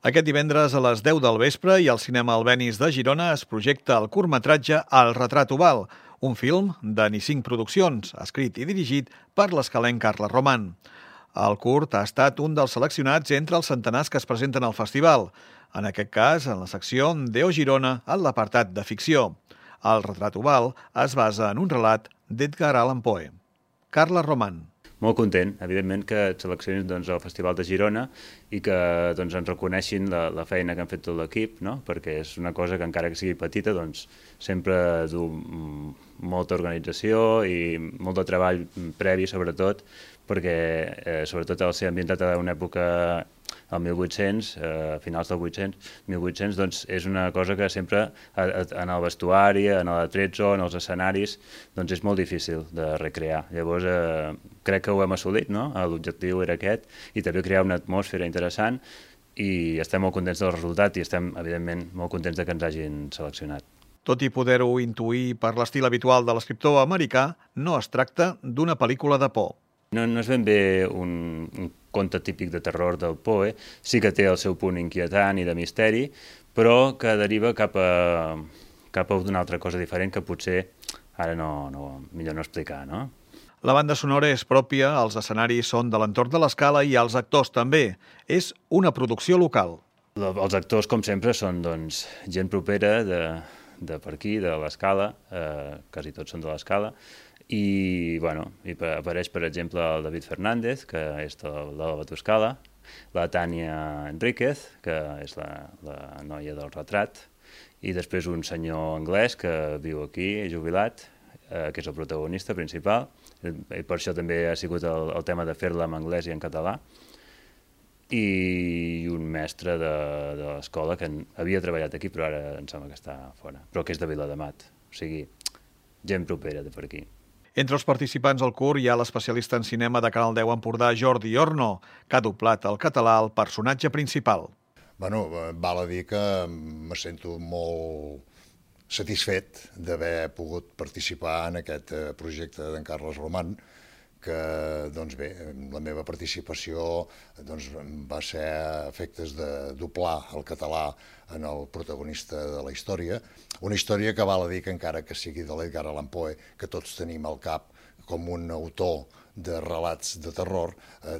Aquest divendres a les 10 del vespre i al cinema Albéniz de Girona es projecta el curtmetratge El retrat oval, un film de Nissin Produccions, escrit i dirigit per l'escalenc Carles Roman. El curt ha estat un dels seleccionats entre els centenars que es presenten al festival, en aquest cas en la secció Deo Girona en l'apartat de ficció. El retrat oval es basa en un relat d'Edgar Allan Poe. Carles Roman. Molt content, evidentment, que et seleccionin al Festival de Girona i que ens reconeixin la feina que han fet tot l'equip, no? Perquè és una cosa que, encara que sigui petita, sempre du molta organització i molt de treball previ, sobretot, perquè sobretot al ser ambientat a una època al 1800, finals del 1800, és una cosa que sempre en el vestuari, en l'atrezzo, en els escenaris, és molt difícil de recrear. Llavors, crec que ho hem assolit, no? L'objectiu era aquest, i també crear una atmosfera interessant, i estem molt contents del resultat i estem, evidentment, molt contents que ens hagin seleccionat. Tot i poder-ho intuir per l'estil habitual de l'escriptor americà, no es tracta d'una pel·lícula de por. No és ben bé un conte típic de terror del Poe, sí que té el seu punt inquietant i de misteri, però que deriva cap a una altra cosa diferent que potser ara millor no explicar, no? La banda sonora és pròpia, els escenaris són de l'entorn de l'Escala i els actors també. És una producció local. Els actors, com sempre, són gent propera de per aquí, de l'Escala, quasi tots són de l'Escala, i apareix, per exemple, el David Fernández, que és de la Batuscala, la Tània Enríquez, que és la noia del retrat, i després un senyor anglès que viu aquí, jubilat, que és el protagonista principal, i per això també ha sigut el tema de fer-la en anglès i en català, i un mestre de l'escola que havia treballat aquí, però ara em sembla que està fora, però que és de Viladamat, o sigui, gent propera de per aquí. Entre els participants al curt hi ha l'especialista en cinema de Canal 10 Empordà, Jordi Orno, que ha doblat al català el personatge principal. Val a dir que me sento molt satisfet d'haver pogut participar en aquest projecte d'en Carles Roman, que, la meva participació va ser a efectes de doblar el català en el protagonista de la història, una història que val a dir que, encara que sigui de l'Edgar Allan Poe, que tots tenim al cap com un autor de relats de terror,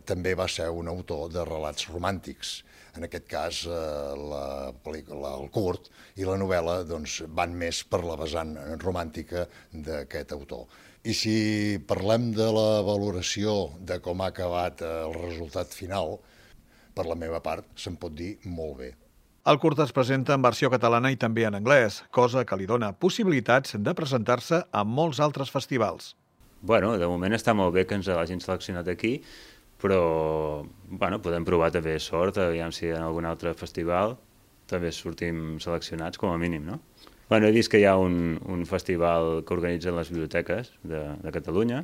també va ser un autor de relats romàntics. En aquest cas, la pel·lícula, el curt i la novel·la van més per la vessant romàntica d'aquest autor. I si parlem de la valoració de com ha acabat el resultat final, per la meva part, se'n pot dir molt bé. El curt es presenta en versió catalana i també en anglès, cosa que li dona possibilitats de presentar-se a molts altres festivals. De moment està molt bé que ens l'hagin seleccionat aquí, però podem provar també sort, aviam si en algun altre festival també sortim seleccionats, com a mínim, no? He vist que hi ha un festival que organitzen les biblioteques de Catalunya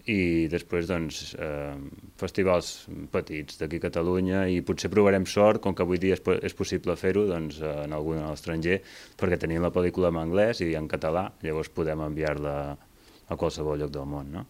i després festivals petits d'aquí a Catalunya, i potser provarem sort, com que avui dia és possible fer-ho en algun a l'estranger, perquè tenim la pel·lícula en anglès i en català, llavors podem enviar-la a qualsevol lloc del món, no?